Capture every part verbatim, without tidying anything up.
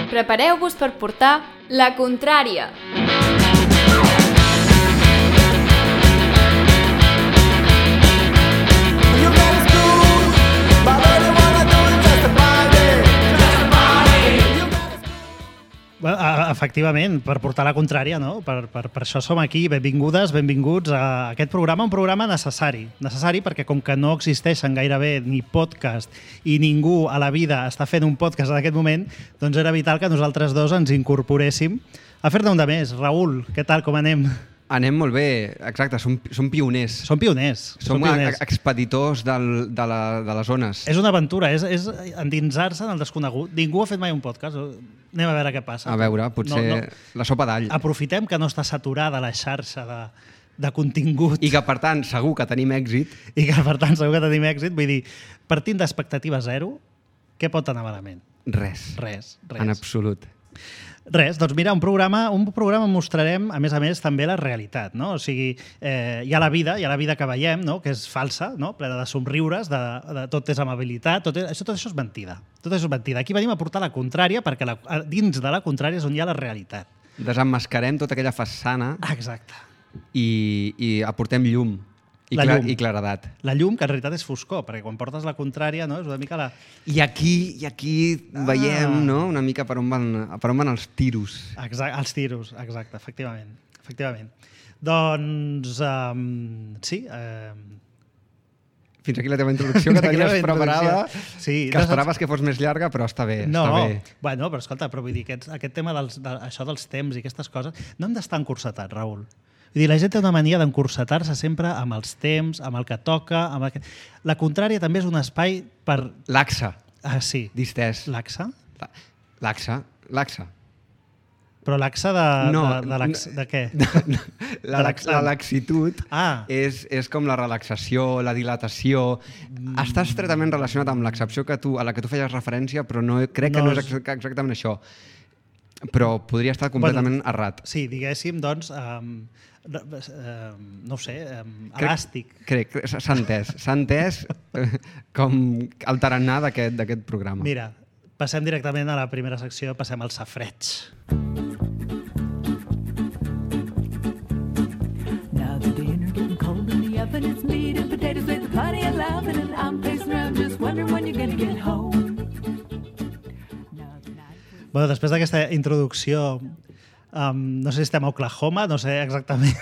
Prepareu-vos per portar la contrària. Efectivament, per portar la contrària, no? Per, per, per això som aquí. Benvingudes, benvinguts a aquest programa, un programa necessari. Necessari perquè com que no existeixen gairebé ni podcast i ningú a la vida està fent un podcast en aquest moment, doncs era vital que nosaltres dos ens incorporéssim a fer-ne un de més. Raül, què tal, com anem? Anem molt bé, exacte, som, som pioners. Som pioners. Som, som pioners. expeditors del, de, la, de les zones. És una aventura, és, és endinsar-se en el desconegut. Ningú ha fet mai un podcast. Anem a veure què passa. A veure, potser no, no. La sopa d'all. Aprofitem que no està saturada la xarxa de, de contingut. I que, per tant, segur que tenim èxit. I que, per tant, segur que tenim èxit. Vull dir, partint d'expectativa zero, què pot anar malament? Res. Res, res. En absolut. Res, doncs mira, un programa, un programa mostrarem, a més a més, també la realitat, no? O sigui, eh, hi ha la vida, hi ha la vida que veiem, no? Que és falsa, no? Plena de somriures, de, de tot és amabilitat, tot, és, això, tot això és mentida. Tot això és mentida. Aquí venim a portar la contrària, perquè la, dins de la contrària és on hi ha la realitat. Desemmascarem tota aquella façana. Exacte. I, i aportem llum. I, la clar, llum. I claredat. La llum, que en realitat és foscor, perquè quan portes la contrària, no, és una mica la... I aquí, i aquí ah. veiem, no?, una mica per on van, per on van els tiros. Exacte, els tiros, exacte, efectivament. efectivament. Doncs, um, sí... Um... Fins aquí la teva introducció, que tenies preparada, sí, que esperaves que fos més llarga, però està bé. No, està bé. Bueno, però escolta, però vull dir, aquest, aquest tema dels, de, això dels temps i aquestes coses, no hem d'estar encursetats, Raül. Vull dir, la gent té una mania d'encursetar-se sempre amb els temps, amb el que toca... Amb el que... La contrària també és un espai per... Laxa. Ah, sí. Distès. Laxa? Laxa. Laxa. Però laxa de, no, de, de, lax, de què? De, la, de la laxitud ah. és, és com la relaxació, la dilatació. Mm. Està estretament relacionat amb l'excepció que tu, a la que tu feies referència, però no, crec no que no és exactament això. Però podria estar completament bueno, errat. Sí, diguéssim, doncs... Um, Uh, no ho sé, um, elàstic. Crec, crec s'ha entès. S'ha entès com el tarannà d'aquest programa. Mira, passem directament a la primera secció, passem al safreig. Now the dinner getting cold in the oven, it's meat and potatoes with the party and laughing, and I'm pacing around just wondering when you're gonna get home. Bueno, després d'aquesta introducció, Um, no sé si estem a Oklahoma, no sé exactament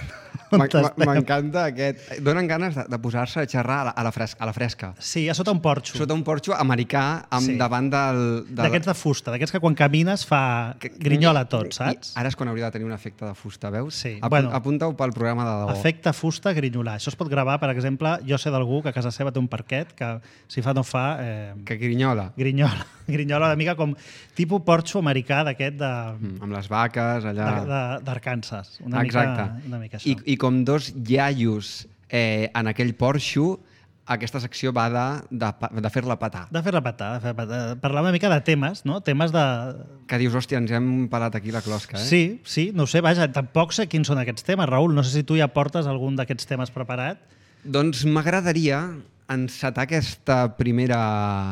on estem. M'encanta aquest... Donen ganes de, de posar-se a xerrar a la, a, la fresca, a la fresca. Sí, a sota un porxo. Sota un porxo americà amb sí. davant del... De... D'aquests de fusta, d'aquests que quan camines fa que, grinyola tot, saps? I ara és quan hauria de tenir un efecte de fusta, veus? Sí. Apunt, bueno, apunta-ho pel programa de debò. Efecte fusta, grinyolar. Això es pot gravar, per exemple, jo sé d'algú que a casa seva té un parquet que si fa no fa... Eh, que grinyola. Grinyola. Grinyola una mica com tipus porxo americà d'aquest de... Mm, amb les vaques, allà... D'Arkansas. Una, una mica això. I, I com dos iaios eh, en aquell porxo, aquesta secció va de, de, de fer-la petar. De fer-la petar, de fer petar. Parlar una mica de temes, no? Temes de... Que dius, hòstia, ens hem pelat aquí la closca, eh? Sí, sí, no ho sé, vaja, tampoc sé quins són aquests temes, Raül. No sé si tu ja portes algun d'aquests temes preparat. Doncs m'agradaria encetar aquesta primera...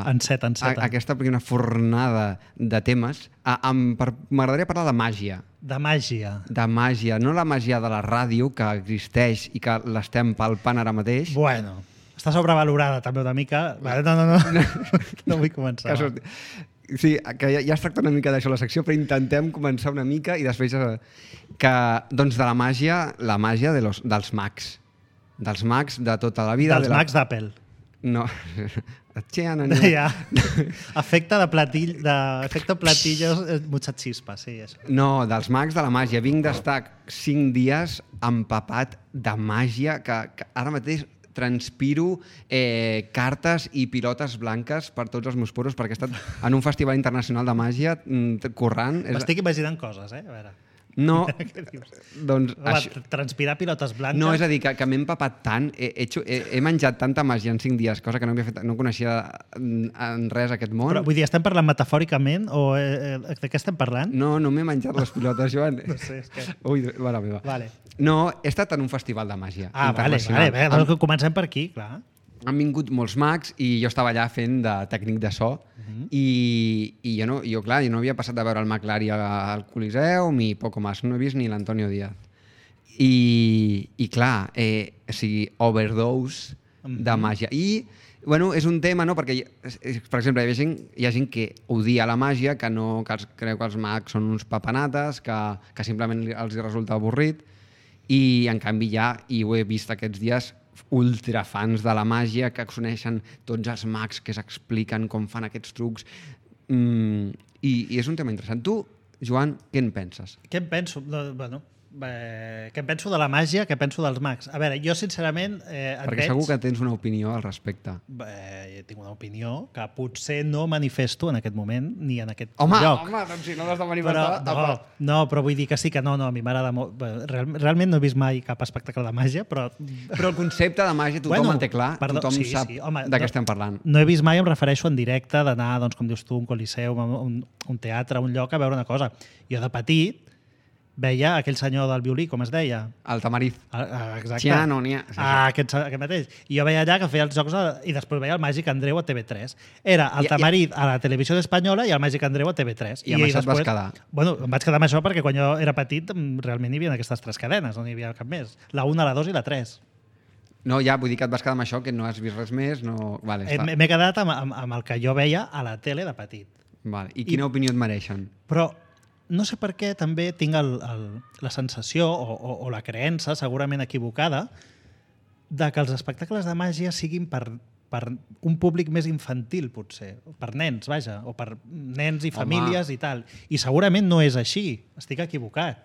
Enceta, enceta. A, aquesta primera fornada de temes. M'agradaria parlar de màgia. De màgia. De màgia. No la màgia de la ràdio, que existeix i que l'estem palpant ara mateix. Bueno, està sobrevalorada també una mica. Vale, no, no, no. No vull començar. Que sí, que ja, ja es tracta una mica d'això la secció, però intentem començar una mica i després que, doncs de la màgia, la màgia de los, dels mags. Dels mags de tota la vida. Dels de la... mags d'Apple. No. Ja. Efecte de platill, d'efecte platillos, mucha chispa, sí. Això. No, dels mags de la màgia. Vinc d'estar cinc dies empapat de màgia, que, que ara mateix transpiro eh, cartes i pilotes blanques per tots els meus poros, perquè he estat en un festival internacional de màgia corrent. M'estic imaginant coses, eh? A veure. No, doncs... Home, això... Transpirar pilotes blanques... No, és a dir, que, que m'he empapat tant, he, he, he, he menjat tanta màgia en cinc dies, cosa que no, havia fet, no coneixia en res aquest món. Però vull dir, estem parlant metafòricament o eh, de què estem parlant? No, no m'he menjat les pilotes, Joan. No sé, és que... Ui, mare meva. Vale. No, he estat en un festival de màgia ah, internacional. Ah, vale, vale, doncs comencem per aquí, clar. han vingut molts mags i jo estava allà fent de tècnic de so uh-huh. i, i jo, no, jo, clar, jo no havia passat de veure el McLaren al Coliseu ni poco más, no he vist ni l'Antonio Díaz. I, i clar, eh, o sigui, overdose uh-huh. de màgia. I, bueno, és un tema, no?, perquè, per exemple, hi ha gent, hi ha gent que odia la màgia, que, no, que els, creu que els mags són uns papanates, que, que simplement els resulta avorrit, i en canvi ja, i ho he vist aquests dies, ultrafans de la màgia que coneixen tots els mags que s'expliquen com fan aquests trucs mm, i, i és un tema interessant. Tu, Joan, què en penses? Què en penso? No, bueno, eh, què en penso de la màgia, què penso dels mags? A veure, jo sincerament eh, et Perquè veig... segur que tens una opinió al respecte. Eh, tinc una opinió que potser no manifesto en aquest moment ni en aquest home, lloc. Home, doncs si no l'has de manifestar... Però, no, no, però vull dir que sí que no, no, a mi m'agrada molt... Real, realment no he vist mai cap espectacle de màgia, però... Però el concepte de màgia tothom bueno, el té clar, perdó, tothom sí, sap sí, home, de què no, estem parlant. No he vist mai, em refereixo en directe, d'anar, doncs, com dius tu, a un coliseu, a un, un teatre, a un lloc, a veure una cosa. Jo de petit veia aquell senyor del violí, com es deia? El Tamariz. Ah, exacte. Ja, no n'hi ha. Ah, aquest, aquest mateix. I jo veia allà que feia els jocs a, i després veia el Màgic Andreu a T V tres. Era el I, Tamariz a la televisió espanyola i el Màgic Andreu a T V tres. I amb això et vas quedar? Bueno, em vaig quedar amb això perquè quan jo era petit realment hi havia aquestes tres cadenes, no hi havia cap més. La una, la dos i la tres. No, ja, vull dir que et vas quedar amb això, que no has vist res més, no... Vale, està. M'he quedat amb, amb, amb el que jo veia a la tele de petit. Vale. I quina I, opinió et mereixen? Però no sé per què també tinc el, el, la sensació o, o, o la creença, segurament equivocada, de que els espectacles de màgia siguin per, per un públic més infantil, potser. Per nens, vaja, o per nens i famílies Home. I tal. I segurament no és així. Estic equivocat.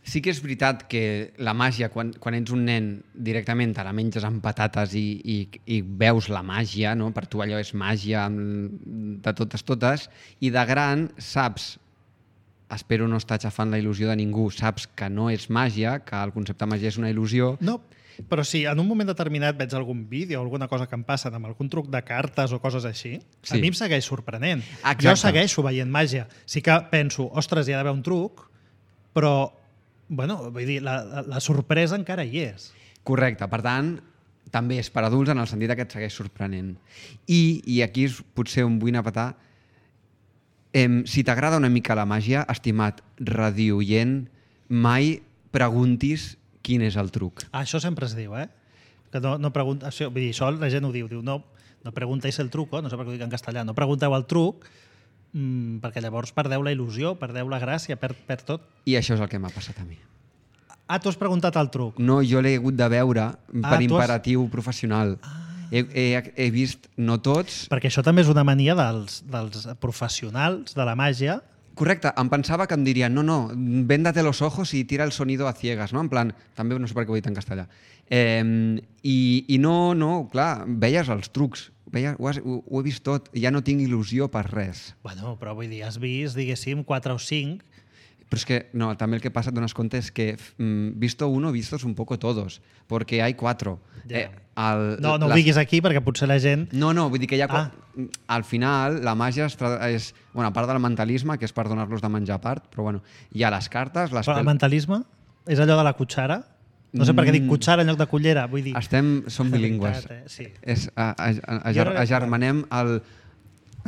Sí que és veritat que la màgia, quan, quan ets un nen, directament te la menges amb patates i, i, i veus la màgia, no? Per tu allò és màgia de totes totes, i de gran saps, espero no estar xafant la il·lusió de ningú, saps que no és màgia, que el concepte de màgia és una il·lusió. No, però si en un moment determinat veig algun vídeo o alguna cosa que em passa amb algun truc de cartes o coses així, sí. A mi em segueix sorprenent. Exacte. Jo segueixo veient màgia. Sí que penso, ostres, hi ha d'haver un truc, però bueno, vull dir, la, la, la sorpresa encara hi és. Correcte, per tant, també és per adults en el sentit que et segueix sorprenent. I, i aquí és potser on vull anar a petar, eh, si t'agrada una mica la màgia, estimat radioient, mai preguntis quin és el truc. Ah, això sempre es diu, eh? Que no, no pregunta, això, vull dir, això la gent ho diu, diu no, no preguntéis el truco, no sé per què ho dic en castellà, no pregunteu el truc, mmm, perquè llavors perdeu la il·lusió, perdeu la gràcia, perd, perd tot. I això és el que m'ha passat a mi. Ah, tu has preguntat el truc? No, jo l'he hagut de veure per ah, imperatiu has... professional. Ah. He, he, he vist, no tots... Perquè això també és una mania dels, dels professionals de la màgia. Correcte, em pensava que em dirien no, no, véndate los ojos i tira el sonido a ciegas, no? En plan, també no sé per què ho he dit en castellà. Eh, i, I no, no, clar, veies els trucs, veies, ho, has, ho, ho he vist tot, ja no tinc il·lusió per res. Bueno, però vull dir, has vist, diguéssim, quatre o cinc... Pero es que, no, también el que pasa, te das cuenta, es que mmm, visto uno, vistos un poco todos, porque hay cuatro. Yeah. Eh, el, no, no les... ho diguis aquí, perquè potser la gent... No, no, vull dir que hi ha... Ah. Al final, la màgia és, és... Bueno, a part del mentalisme, que és per donar-los de menjar a part, però bueno, hi ha les cartes... Les Però el mentalisme és allò de la cuchara? No sé per què dic cuchara en lloc de cullera, vull dir... Estem, som bilingües. Eh? Sí. És, a, a, a, a, agermanem el...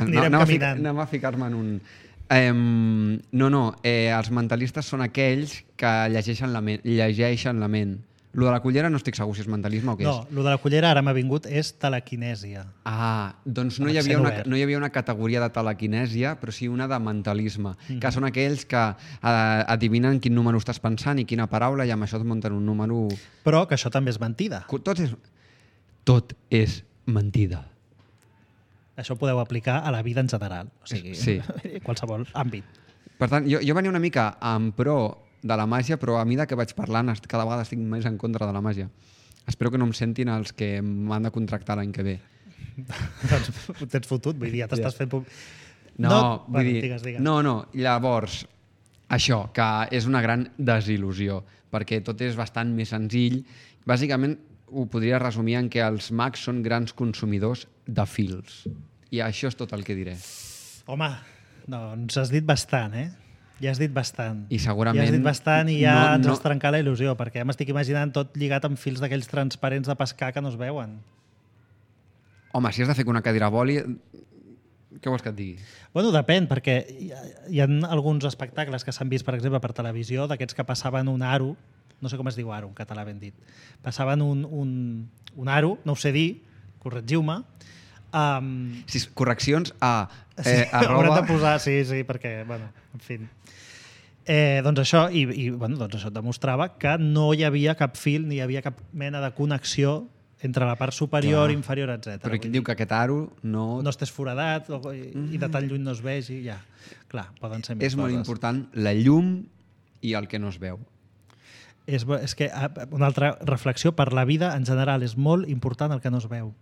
Anirem no, caminant. Anem a ficar-me en un... Eh, no, no, eh, els mentalistes són aquells que llegeixen la ment. Llegeixen la ment. Lo de la cullera no estic segur si és mentalisme o què no, és. No, lo de la cullera ara m'ha vingut és telequinèsia. Ah, doncs no hi, havia una, no hi havia una categoria de telequinèsia, però sí una de mentalisme, mm-hmm. que són aquells que eh, adivinen quin número estàs pensant i quina paraula, i amb això et munten un número... Però que això també és mentida. Tot és, tot és mentida. Això ho podeu aplicar a la vida en general, o sigui, sí. qualsevol àmbit. Per tant, jo, jo venia una mica en pro de la màgia, però a mesura que vaig parlant cada vegada estic més en contra de la màgia. Espero que no em sentin els que m'han de contractar l'any que ve. Doncs ho tens fotut, vull dir, ja t'estàs fent... No, no vull bueno, dir... Digues, digues. No, no, llavors, això, que és una gran desil·lusió, perquè tot és bastant més senzill. Bàsicament, ho podria resumir en que els mags són grans consumidors de fils. I això és tot el que diré. Home, doncs has dit bastant, eh? Ja has dit bastant. I segurament... Ja has dit bastant i ja no, ens no... has trencat la il·lusió, perquè ja m'estic imaginant tot lligat amb fils d'aquells transparents de pescar que no es veuen. Home, si has de fer que una cadira voli, què vols que et digui? Bueno, depèn, perquè hi ha, hi ha alguns espectacles que s'han vist, per exemple, per televisió, d'aquests que passaven un aro, no sé com es diu aro en català ben dit, passaven un, un, un aro, no ho sé dir, corregiu-me. Um, Sí, correccions a... Eh, sí, arroba... haurem de posar, sí, sí, perquè, bueno, en fi. Eh, doncs això, i, i bueno, doncs això et demostrava que no hi havia cap fil ni hi havia cap mena de connexió entre la part superior, Clar. inferior, etcètera. Però aquí diu que aquest aro no... no estàs foradat o, i, i de tan lluny no es vegi, ja. Clar, poden ser més És molt coses. important la llum i el que no es veu. És, bo- és que ah, una altra reflexió, per la vida en general és molt important el que no es veu.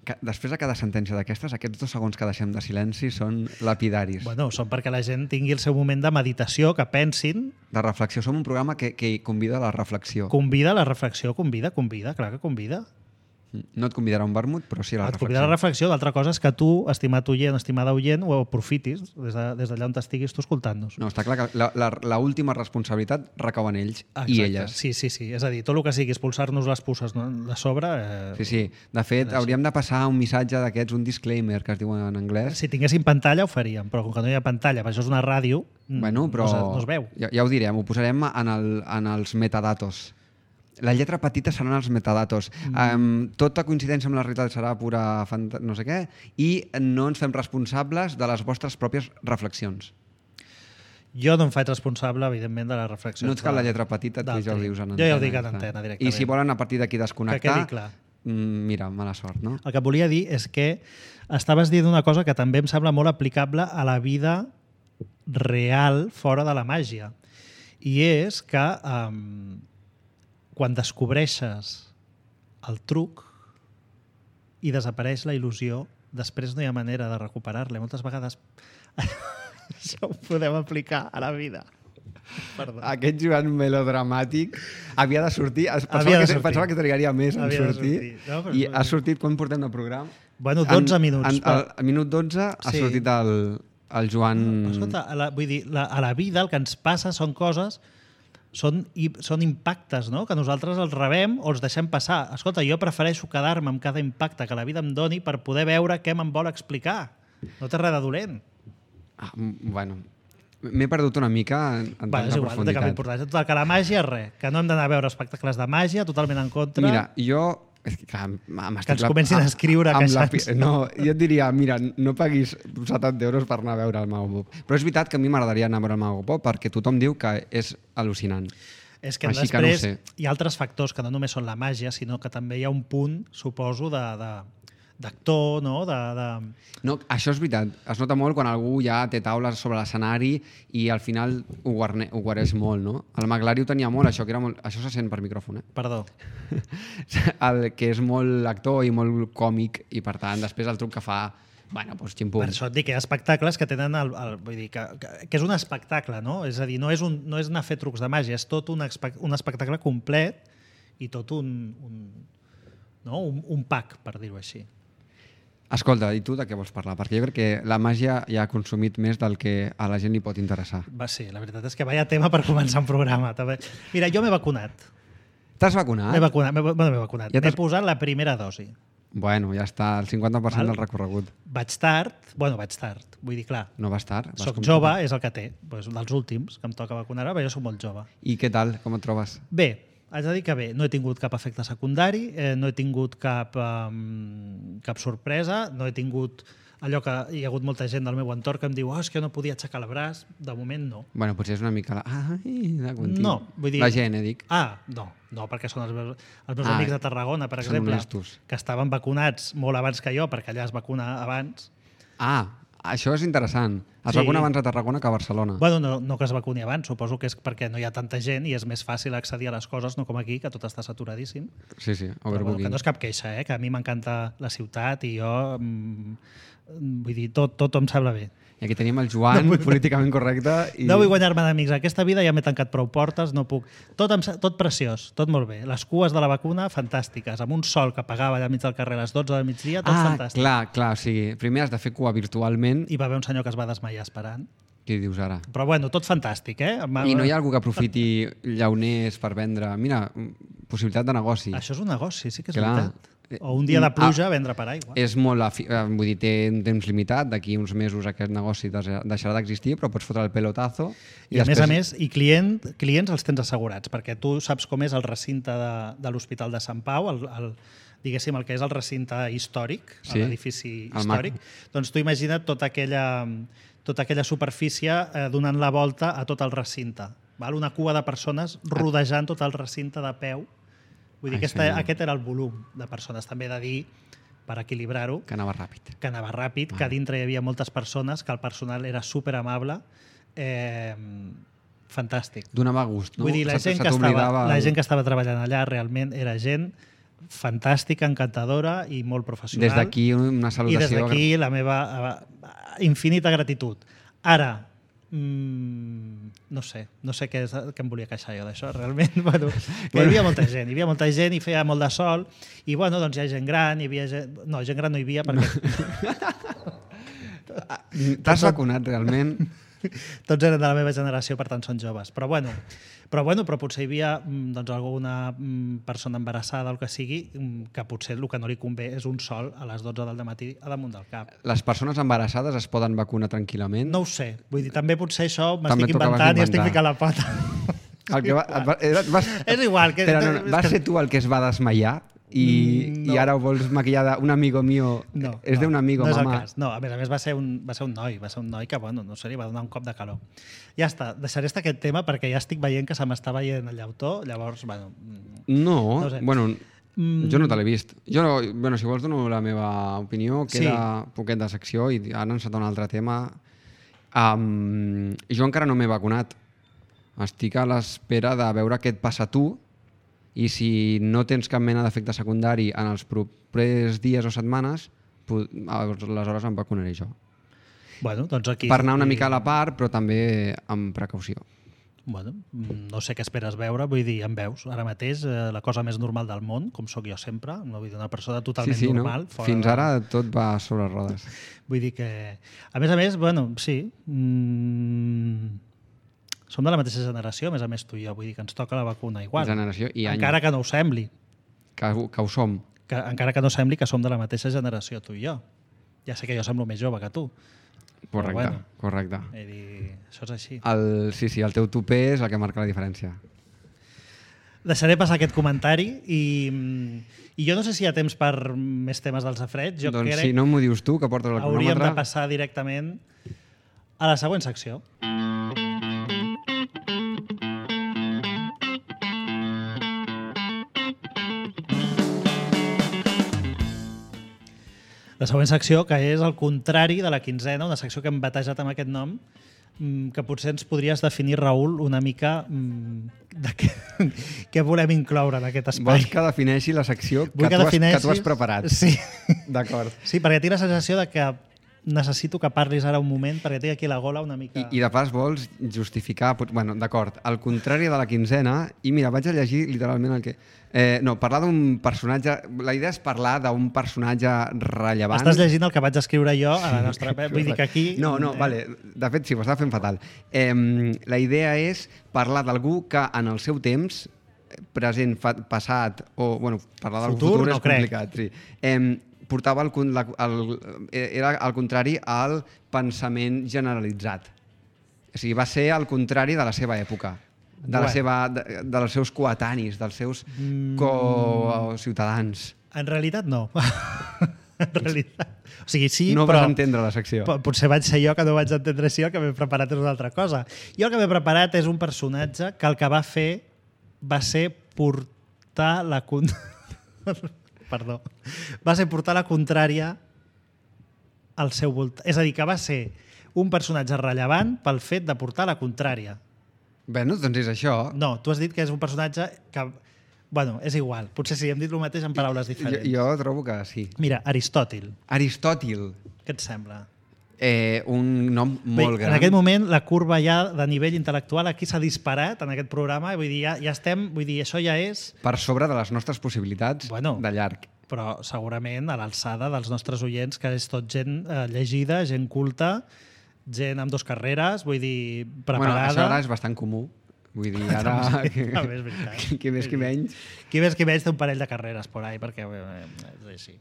Que després de cada sentència d'aquestes, aquests dos segons que deixem de silenci són lapidaris. Bueno, són perquè la gent tingui el seu moment de meditació, que pensin, De reflexió. Som un programa que, que convida a la reflexió. convida a la reflexió, convida, convida, clar que convida. No et convidarà a un vermut, però sí a la Et convida a reflexió. la reflexió, l'altra cosa és que tu, estimat oient, estimada oient, ho aprofitis des de- des d'allà on estiguis tu escoltant-nos. No, està clar que la, la, la última responsabilitat recau en ells i elles. Sí, sí, sí. És a dir, tot el que sigui expulsar-nos les puces no, de sobre... Eh, Sí, sí. De fet, hauríem de passar un missatge d'aquests, un disclaimer, que es diu en anglès. Si tinguéssim pantalla ho faríem, però com que no hi ha pantalla, per això és una ràdio, mm, Bueno, però no, es, no es veu. Ja, ja ho direm, ho posarem en, el, en els metadatos. La lletra petita seran els metadatos. Mm. Um, tota coincidència amb la realitat serà pura fanta... no sé què, i no ens fem responsables de les vostres pròpies reflexions. Jo no em faig responsable, evidentment, de la reflexió. No et cal la lletra petita, tu ja ho dius en antena. Jo ja ho dic en està. antena, directament. I si volen a partir d'aquí Que desconnectar, quedi clar. mm, mira, mala sort, no? El que et volia dir és que estaves dient una cosa que també em sembla molt aplicable a la vida real fora de la màgia. I és que um, quan descobreixes el truc i desapareix la il·lusió, després no hi ha manera de recuperar-la. Moltes vegades això ho podem aplicar a la vida. Perdó. Aquest Joan melodramàtic havia de sortir, es- pensava, Havia de que, sortir. pensava que trigaria més en Havia de sortir, sortir. No, però- i ha sortit, quan portem de programa? Bueno, dotze minuts, En, però- al, al minut dotze ha Sí. sortit el, el Joan... Escolta, a la, vull dir, la, a la vida el que ens passa són coses, són, i, són impactes, no? Que nosaltres els rebem o els deixem passar. Escolta, jo prefereixo quedar-me amb cada impacte que la vida em doni per poder veure què me'n vol explicar. No té res de dolent. Ah, mm, bueno, m'he perdut una mica en, en Va, és tanta igual, no té cap profunditat. importància. Total, que la màgia és res, que no hem d'anar a veure espectacles de màgia, totalment en contra. Mira, jo... És que, clar, m'estic... ens comencin a escriure amb la queixant-se. pi- No, jo et diria, mira, no paguis setanta euros per anar a veure el Mago Pop. Però és veritat que a mi m'agradaria anar a veure el Mago Pop perquè tothom diu que és al·lucinant. És que Així que no ho després sé. hi ha altres factors que no només són la màgia, sinó que també hi ha un punt, suposo, de, de, d'actor, no? De, de... No, això és veritat. Es nota molt quan algú ja té taules sobre l'escenari i al final ho, guarne, ho guareix molt, no? El Maglari ho tenia molt, això, que era molt... Això se sent per micròfon, eh? Perdó. El que és molt actor i molt còmic i, per tant, després el truc que fa... Bueno, doncs ximpum. Per això et dic que hi ha espectacles que tenen el, el, vull dir, que, que, que és un espectacle, no? És a dir, no és, un, no és anar a fer trucs de màgia, és tot un, espe un espectacle complet i tot un, un, no? un, un pack, per dir-ho així. Escolta, i tu de què vols parlar? Perquè jo crec que la màgia ja ha consumit més del que a la gent li pot interessar. Va ser, la veritat és que vaya tema per començar un programa. També. Mira, jo m'he vacunat. T'has vacunat? M'he vacunat, m'he bueno, m'he vacunat. Ja M'he t'has- posat la primera dosi. Bueno, ja està, el cinquanta per cent Val. del recorregut. Vaig tard, bueno, vaig tard, vull dir, clar, No vas tard? Vas soc com jove, tu. és el que té, doncs un dels últims que em toca vacunar, però jo soc molt jove. I què tal? Com et trobes? Bé, haig de dir que bé, no he tingut cap efecte secundari, eh, no he tingut cap, um, cap sorpresa, no he tingut allò que hi ha hagut molta gent del meu entorn que em diu oh, és que no podia aixecar el braç, de moment no. Bueno, potser és una mica la... Ai, la contigo. No, vull dir... La gent, eh, dic. Ah, no, no, perquè són els meus, els meus Ah, amics de Tarragona, per són exemple, honestos. que estaven vacunats molt abans que jo, perquè allà es vacuna abans. Ah, això és interessant. Es Sí. vacuna abans a Tarragona que a Barcelona. Bueno, no, no que es vacuni abans, suposo que és perquè no hi ha tanta gent i és més fàcil accedir a les coses, no com aquí, que tot està saturadíssim. Sí, sí, Però, bueno, overbooking. que no és cap queixa, eh? Que a mi m'encanta la ciutat i jo, mm, vull dir, tot, tot em sembla bé. I aquí tenim el Joan, No vull- políticament correcte. I... No vull guanyar-me d'amics. Aquesta vida ja m'he tancat prou portes, no puc... Tot, em, sa- tot preciós, tot molt bé. Les cues de la vacuna, fantàstiques. Amb un sol que apagava allà al mig del carrer a les dotze del migdia, tot ah, fantàstic. clar, clar. O sigui, primer has de fer cua virtualment. Hi va haver un senyor que es va desmaiar esperant. Què dius ara? Però bueno, tot fantàstic, eh? I no hi ha algú que aprofiti llauners per vendre... Mira, possibilitat de negoci. Això és un negoci, sí que és Clar. veritat. O un dia de pluja, vendre per aigua. És molt... Afi... Vull dir, té un temps limitat, d'aquí uns mesos aquest negoci deixarà d'existir, però pots fotre el pelotazo. I, I a després... més a més, i client, clients els tens assegurats, perquè tu saps com és el recinte de, de l'Hospital de Sant Pau, el, el, diguéssim, el que és el recinte històric, sí, l'edifici històric. Doncs tu imagina't tota aquella, tota aquella superfície eh, donant la volta a tot el recinte. Val? Una cua de persones rodejant tot el recinte de peu. Vull dir, aquesta, aquest era el volum de persones. També he de dir, per equilibrar-ho, que anava ràpid. Que anava ràpid, ah. que dintre hi havia moltes persones, que el personal era superamable. Eh, fantàstic. Donava gust, no? Vull dir, la gent, que estava, la gent que estava treballant allà realment era gent fantàstica, encantadora i molt professional. Des d'aquí una salutació. I des d'aquí la meva infinita gratitud. Ara, Mm, no sé, no sé què, és, què em volia queixar jo d'això, realment. Bueno, que hi havia molta gent, hi havia molta gent i feia molt de sol i bueno, doncs hi ha gent gran, hi havia gent... No, gent gran no hi havia perquè... T'has vacunat realment? Tots eren de la meva generació, per tant són joves. Però bueno, però, bueno, però potser hi havia doncs, alguna persona embarassada o el que sigui que potser el que no li convé és un sol a les dotze del matí a damunt del cap. Les persones embarassades es poden vacunar tranquil·lament? No ho sé. Vull dir, també potser això m'estic inventant i estic ficant la pata. El que va, va, vas, és igual. Que, però no, vas ser tu el que es va desmaiar? I, no. I ara ho vols maquillar d'un amigo mío? No, és no, d'un amigo, no és mamà? El cas. No, a més a més va ser, un, va ser un noi, va ser un noi que, bueno, no sé, li va donar un cop de calor. Ja està, deixaré estar aquest tema perquè ja estic veient que se m'està veient el llautó, llavors, bueno... No, no sé. bueno, mm. jo no te l'he vist. Jo, bueno, si vols dono la meva opinió, queda sí. poquet de secció i ara ens un altre tema. Um, jo encara no m'he vacunat. Estic a l'espera de veure què et passa a tu i si no tens cap mena d'efecte secundari en els propers dies o setmanes, aleshores em vacunaré jo. Bueno, doncs aquí... Per anar una mica a la part, però també amb precaució. Bueno, no sé què esperes veure, vull dir, em veus ara mateix eh, la cosa més normal del món, com sóc jo sempre, no vull dir una persona totalment sí, sí, normal. No? Fins de... ara tot va sobre rodes. Vull dir que... A més a més, bueno, sí... Mm... Som de la mateixa generació, a més a més tu i jo, vull dir que ens toca la vacuna igual. Generació i any. Encara que no ho sembli. Que, que ho som. Que, encara que no sembli que som de la mateixa generació, tu i jo. Ja sé que jo semblo més jove que tu. Correcte, bueno, correcte. Dir, això és així. El, sí, sí, el teu tupé és el que marca la diferència. Deixaré passar aquest comentari i, i jo no sé si hi ha temps per més temes dels afrets. Jo doncs crec si no m'ho dius tu, que portes el cronòmetre... Hauríem de passar directament a la següent secció. La següent secció, que és el contrari de la quinzena, una secció que hem batejat amb aquest nom, que potser ens podries definir, Raül, una mica de què, què volem incloure en aquest espai. Vols que defineixi la secció que, que, tu, has, que tu has preparat? Sí. D'acord. Sí, perquè tinc la sensació de que necessito que parlis ara un moment perquè tinc aquí la gola una mica... I, i de pas vols justificar... Bueno, d'acord, al contrari de la quinzena, i mira, vaig a llegir literalment el que... Eh, no, parlar d'un personatge... La idea és parlar d'un personatge rellevant... Estàs llegint el que vaig escriure jo a la nostra... Vull dir que aquí... No, no, eh... vale. De fet, sí, ho estava fent fatal. Eh, la idea és parlar d'algú que en el seu temps, present, passat, o... Bueno, parlar del futur, futur no és crec. complicat. Sí. Eh, portava el, la, el, era al contrari al pensament generalitzat. O sigui, va ser al contrari de la seva època. De, la bueno. seva, de, dels seus coetanis, dels seus mm. co-ciutadans. En realitat no. En realitat. O sigui, sí, no però... vas entendre la secció. Potser vaig ser jo que no vaig entendre això, que m'he preparat és una altra cosa. Jo el que m'he preparat és un personatge que el que va fer va ser portar la... Con... Perdó. Va ser portar la contrària al seu voltant. És a dir, que va ser un personatge rellevant pel fet de portar la contrària. Bé, no, doncs és això. No, tu has dit que és un personatge que... Bueno, és igual. Potser sí, hem dit el mateix en paraules diferents. Jo, jo trobo que sí. Mira, Aristòtil. Aristòtil. Què et sembla? Eh, un nom molt Bé, gran. En aquest moment, la curva ja de nivell intel·lectual aquí s'ha disparat en aquest programa. Vull dir, ja, ja estem... Vull dir, això ja és... Per sobre de les nostres possibilitats bueno, de llarg. Però segurament a l'alçada dels nostres oients, que és tot gent eh, llegida, gent culta, gent amb dos carreres, vull dir, Bueno, preparada. això ara és bastant comú. Vull dir, ara... Sí, també és veritat. qui, qui més qui menys. Qui més qui menys té un parell de carreres por ahí, perquè eh, és així.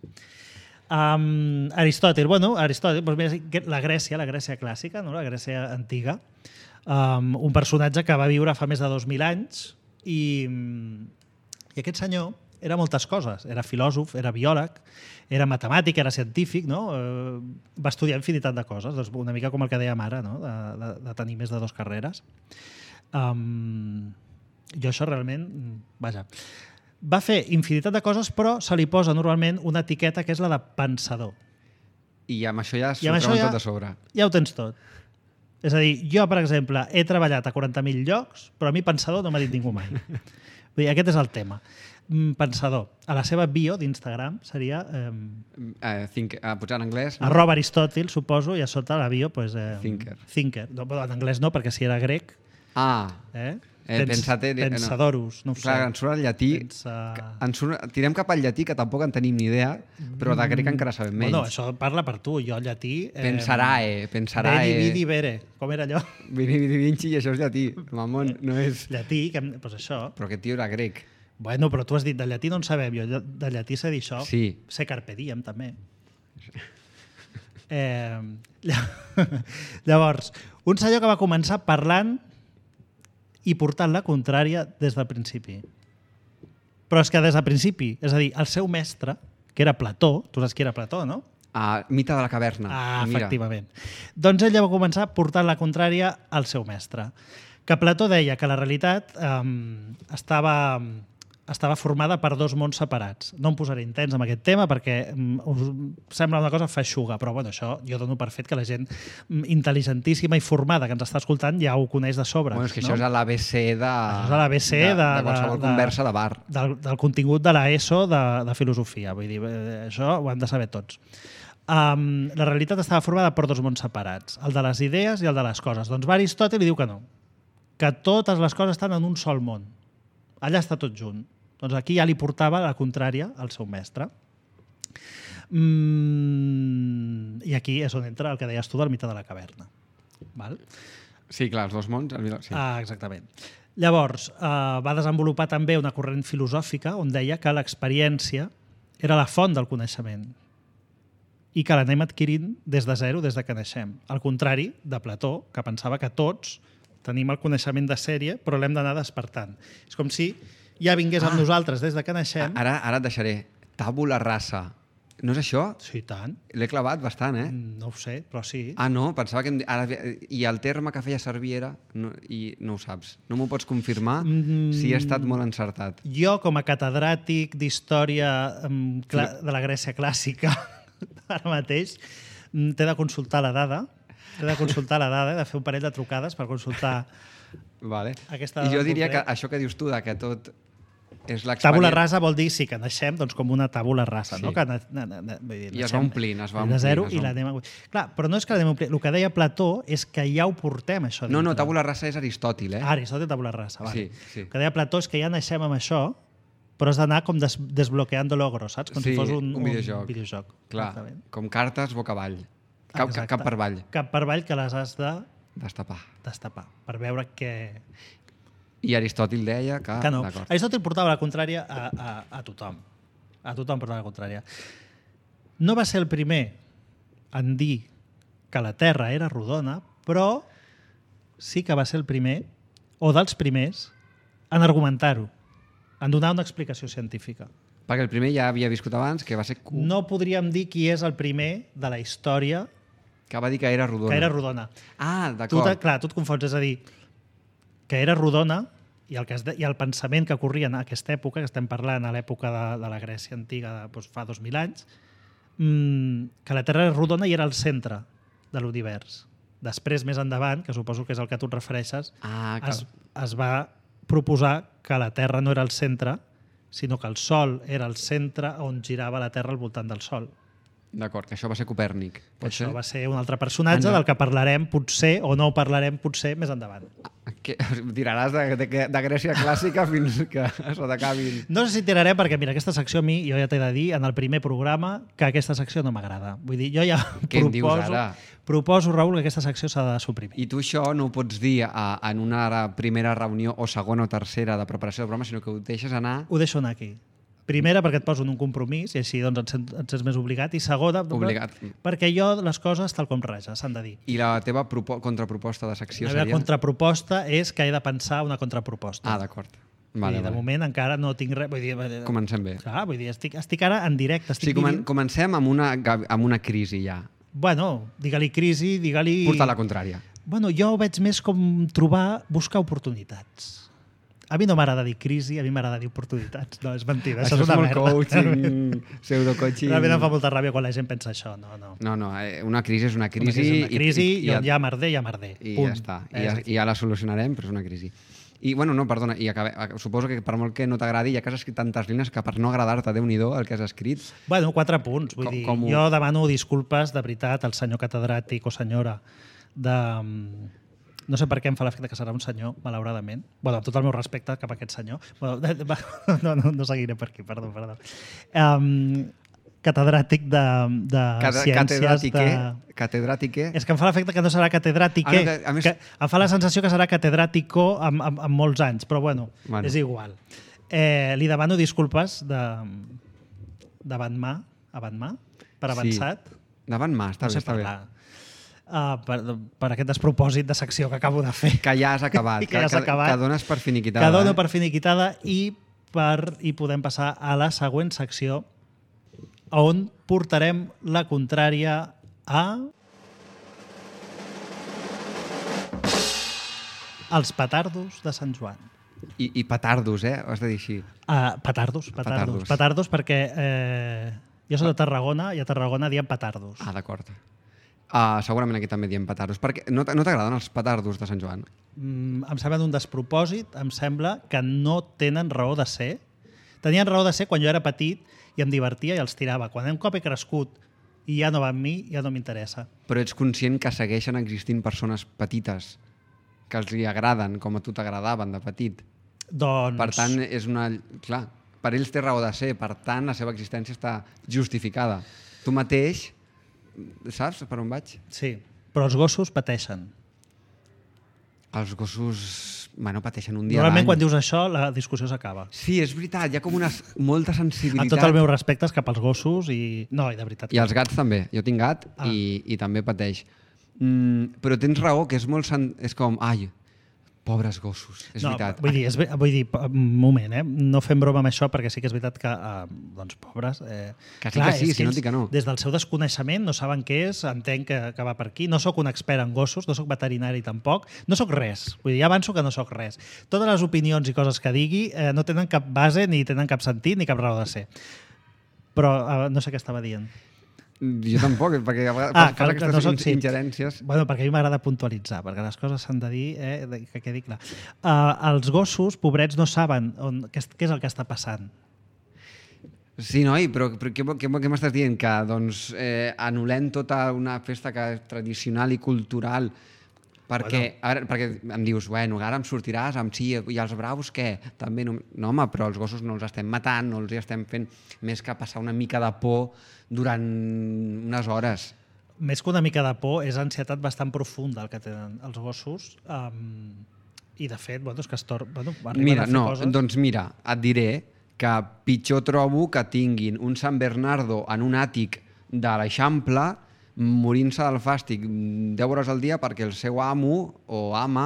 Um, Aristòtil, bueno, Aristòtil, doncs mira, la Grècia, la Grècia clàssica, no? La Grècia antiga, um, un personatge que va viure fa més de dos mil anys i, i aquest senyor era moltes coses. Era filòsof, era biòleg, era matemàtic, era científic, no? Uh, va estudiar infinitat de coses, doncs una mica com el que dèiem ara, no? de, de, de tenir més de dues carreres. Um, jo això realment, vaja, va fer infinitat de coses, però se li posa normalment una etiqueta que és la de pensador. I amb això ja s'ho I amb això treuen ja- tot de sobre. Ja ho tens tot. És a dir, jo, per exemple, he treballat a quaranta mil llocs, però a mi pensador no m'ha dit ningú mai. Vull dir, aquest és el tema. Mm, Pensador. A la seva bio d'Instagram seria eh, Eh, think, eh, potser en anglès... No? arroba Aristòtil, suposo, i a sota la bio pues, eh, Thinker. Thinker. No, però en anglès no, perquè si era grec... Ah, Eh? Eh, pensate- no. Pensadorus, no ho sé. clar, ens surt el llatí... Pensa- Ens surt, tirem cap al llatí, que tampoc en tenim ni idea, però de grec encara sabem menys. Bueno, això parla per tu, jo el llatí... Eh, Pensarae, pensarae. Veni, vidi, vere. Com era allò? Vini, vini, vinci, i això és llatí. Mamón, no és... Llatí, que, pues això. Però aquest tio era grec. Bueno, però tu has dit, de llatí no en sabem, jo de llatí sé dir això. Sí. Sé carpe diem, també. Eh, llavors, un senyor que va començar parlant i portant la contrària des del principi. Però és que des del principi, és a dir, el seu mestre, que era Plató, tu saps qui era Plató, no? Ah, mite de la caverna. Ah, Mira. efectivament. Doncs ell ja va començar portant la contrària al seu mestre. Que Plató deia que la realitat eh, estava, estava formada per dos mons separats. No em posaré intens amb aquest tema perquè mm, us sembla una cosa feixuga, però bueno, això jo dono per fet que la gent mm, intel·ligentíssima i formada que ens està escoltant ja ho coneix de sobre. Bueno, és que no? això és l'A B C de... Això és l'A B C de, de, de qualsevol de, conversa de bar. Del, del contingut de l'ESO de, de filosofia. Vull dir, eh, això ho han de saber tots. Um, la realitat estava formada per dos mons separats, el de les idees i el de les coses. Doncs va Aristòtil i diu que no, que totes les coses estan en un sol món. Allà està tot junt. Doncs aquí ja li portava la contrària al seu mestre. Mm, I aquí és on entra el que deies tu del mite de la caverna. Val? Sí, clar, els dos mons... El... Sí. Ah, exactament. Llavors, eh, va desenvolupar també una corrent filosòfica on deia que l'experiència era la font del coneixement i que l'anem adquirint des de zero, des de que naixem. Al contrari de Plató, que pensava que tots tenim el coneixement de sèrie, però l'hem d'anar despertant. És com si ja vingués amb Ah. nosaltres des de que naixem. Ara, ara et deixaré. Tàbula rasa. No és això? Sí, tant. L'he clavat bastant, eh? No ho sé, però sí. Ah, no? Pensava que... Em... di- Ara... I el terme que feia servir era... No, I no ho saps. No m'ho pots confirmar Mm. si he estat molt encertat. Jo, com a catedràtic d'història em, cla- de la Grècia clàssica, ara mateix, mm, t'he de consultar la dada, t'he de consultar la dada, he de fer un parell de trucades per consultar Vale. aquesta I jo dada diria que concret. això que dius tu, de que tot és l'experiència... Tàbula rasa vol dir sí, que naixem doncs, com una tàbula rasa, Sí. no? Que na, na, na, na, vull dir, I es va naixem omplint, es va de zero omplint, es i va l'anem a... Clar, però no és que l'anem a omplir. El que deia Plató és que ja ho portem, això. No, no, dintre. tàbula rasa és Aristòtil, eh? Ah, Aristòtil, tàbula rasa, vale. Sí, sí. El que deia Plató és que ja naixem amb això, però has d'anar com des desbloqueando logros, saps? Com Sí, si fos un, un videojoc. Un videojoc. Clar, Exactament. com cartes boca avall. Cap, Exacte. cap per avall. Cap per avall que les has de Destapar. destapar per veure què... I Aristòtil deia que... que no. D'acord. Aristòtil portava la contrària a, a, a tothom. A tothom portava la contrària. No va ser el primer en dir que la Terra era rodona, però sí que va ser el primer, o dels primers, en argumentar-ho, en donar una explicació científica. Perquè el primer ja havia viscut abans, que va ser... Q, No podríem dir qui és el primer de la història que va dir que era rodona. que era rodona. Ah, Tu, d'acord. te- clar, tu et confons, és a dir, que era rodona i el, que es de, i el pensament que corria en aquesta època, que estem parlant a l'època de, de la Grècia antiga, de, doncs, fa dos mil anys, mmm, que la Terra era rodona i era el centre de l'univers. Després, més endavant, que suposo que és el que tu et refereixes, Ah, que... es, es va proposar que la Terra no era el centre, sinó que el Sol era el centre on girava la Terra al voltant del Sol. D'acord, que això va ser Copèrnic. Pot Això ser? va ser un altre personatge Endavant. del que parlarem potser, o no parlarem potser, més endavant. Que tiraràs de, de, de Grècia clàssica fins que se t'acabin. No sé si tirarem perquè, mira, aquesta secció a mi, jo ja t'he de dir, en el primer programa, que aquesta secció no m'agrada. Vull dir, jo ja Què em dius proposo, ara? proposo, Raül, que aquesta secció s'ha de suprimir. I tu això no ho pots dir a, en una primera reunió o segona o tercera de preparació del programa, sinó que ho deixes anar... Ho deixo anar aquí. Primera, perquè et poso en un compromís i així doncs, et, sents, et sents més obligat. I segona, Obligat. perquè jo les coses tal com res, s'han de dir. I la teva propo contraproposta de secció La meva seria... contraproposta és que he de pensar una contraproposta. Ah, d'acord. Vale, Vale, de vale. moment encara no tinc res. Vull dir, Comencem bé. clar, vull dir, estic, estic ara en directe. Estic Sí, comen vivint... comencem amb una, amb una crisi ja. Bueno, digue-li crisi, digue-li... Portar la contrària. Bueno, jo ho veig més com trobar, buscar oportunitats. A mi no m'agrada dir crisi, a mi m'agrada dir oportunitats. No, és mentida, això, Això és una molt merda. coaching, pseudo-coaching... Realment em fa molta ràbia quan la gent pensa això. No, no. No, no, eh, una crisi és una crisi... Una crisi, és una crisi i, i, i, on hi ha merder, hi ha merder. i Punt. ja està. I És ja, aquí. I ja la solucionarem, però és una crisi. I, bueno, no, perdona, i acabe, suposo que per molt que no t'agradi, ja que has escrit tantes línies que per no agradar-te, Déu-n'hi-do, el que has escrit... Bueno, quatre punts. Vull Com- dir, com ho- jo demano disculpes de veritat al senyor catedràtic o senyora de... No sé per què em fa l'efecte que serà un senyor, malauradament. Bueno, amb tot el meu respecte cap a aquest senyor. Bueno, va, no, no, no seguiré per aquí, perdó, perdó. Um, catedràtic de, de Cate- ciències... Catedràtique, De... catedràtique... És que em fa l'efecte que no serà catedràtique, Ah, no, que, a més- que em fa la sensació que serà catedràtico amb, amb, amb molts anys, però bueno, Bueno. és igual. Eh, li demano disculpes de, davant mà, avant mà, per avançat. Sí. Davant mà, està no bé, sé està bé. parlar. Uh, per, per aquest despropòsit de secció que acabo de fer. Que ja has acabat, I que ja has acabat. que dones per finiquitada. Que dono eh? per finiquitada i, per, i podem passar a la següent secció on portarem la contrària a... els petardos de Sant Joan. I, I petardos, eh? Ho has de dir així. Uh, petardos, petardos, Petardos. petardos, perquè eh, jo soc de Tarragona i a Tarragona diem petardos. Ah, d'acord. Uh, segurament aquí també diem petardos. Perquè no, t- no t'agraden els petardos de Sant Joan? Mm, em sembla un despropòsit, em sembla que no tenen raó de ser. Tenien raó de ser quan jo era petit i em divertia i els tirava. Quan un cop he crescut i ja no va amb mi, ja no m'interessa. Però ets conscient que segueixen existint persones petites que els li agraden com a tu t'agradaven de petit. Doncs... Per tant, és una... Clar, per ells té raó de ser, per tant, la seva existència està justificada. Tu mateix, saps per on vaig? Sí, però els gossos pateixen. Els gossos, bueno, pateixen un dia a Normalment l'any. quan dius això la discussió s'acaba. Sí, és veritat, hi ha com una s- molta sensibilitat. Amb tot el meu respecte cap als gossos i... No, i de veritat. I els gats també. Jo tinc gat Ah. i, i també pateix. Mm, però tens raó, que és molt... Sen... És com, ai, pobres gossos. És no, veritat. Vull dir, és, ve- vull dir, un moment, eh? No fem broma amb això perquè sí que és veritat que, eh, doncs, pobres... Eh, Que sí que sí, és si no ells, dic que no. Des del seu desconeixement no saben què és, entenc que, que va per aquí. No sóc un expert en gossos, no sóc veterinari tampoc, no sóc res. Vull dir, ja avanço que no sóc res. Totes les opinions i coses que digui eh, no tenen cap base, ni tenen cap sentit, ni cap raó de ser. Però eh, no sé què estava dient. Jo tampoc, perquè a vegades Ah, fas clar, que aquestes no soc- in- sí. ingerències. Bueno, perquè a mi m'agrada puntualitzar, perquè les coses s'han de dir, eh, de- que quedi clar. Uh, els gossos, pobrets, no saben on, què, és- què és el que està passant. Sí, noi, però, però què, què, què m'estàs dient? Que doncs, eh, anul·lem tota una festa que és tradicional i cultural perquè, Bueno. ara, perquè em dius, bueno, ara em sortiràs amb sí, i els braus què? També no, no, home, però els gossos no els estem matant, no els hi estem fent més que passar una mica de por durant unes hores. Més que una mica de por, és ansietat bastant profunda el que tenen els gossos. Um, I, de fet, bueno, és que es tor... bueno, arriben Mira, a fer no, coses... doncs mira, et diré que pitjor trobo que tinguin un Sant Bernardo en un àtic de l'Eixample morint-se del fàstic deu hores al dia perquè el seu amo o ama